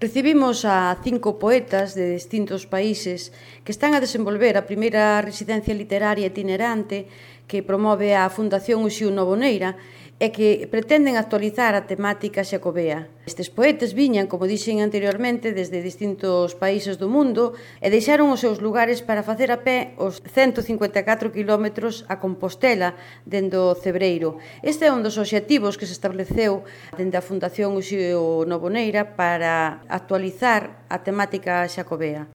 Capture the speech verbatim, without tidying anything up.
Recibimos a cinco poetas de distintos países que están a desenvolver a primeira residencia literaria itinerante que promove a Fundación Uxío Novoneira e que pretenden actualizar a temática xacobea. Estes poetas viñan, como dixen anteriormente, desde distintos países do mundo e deixaron os seus lugares para facer a pé os ciento cincuenta e catro quilómetros a Compostela dende o Cebreiro. Este é un dos obxectivos que se estableceu dende a Fundación Uxío Novoneira para actualizar a temática xacobea.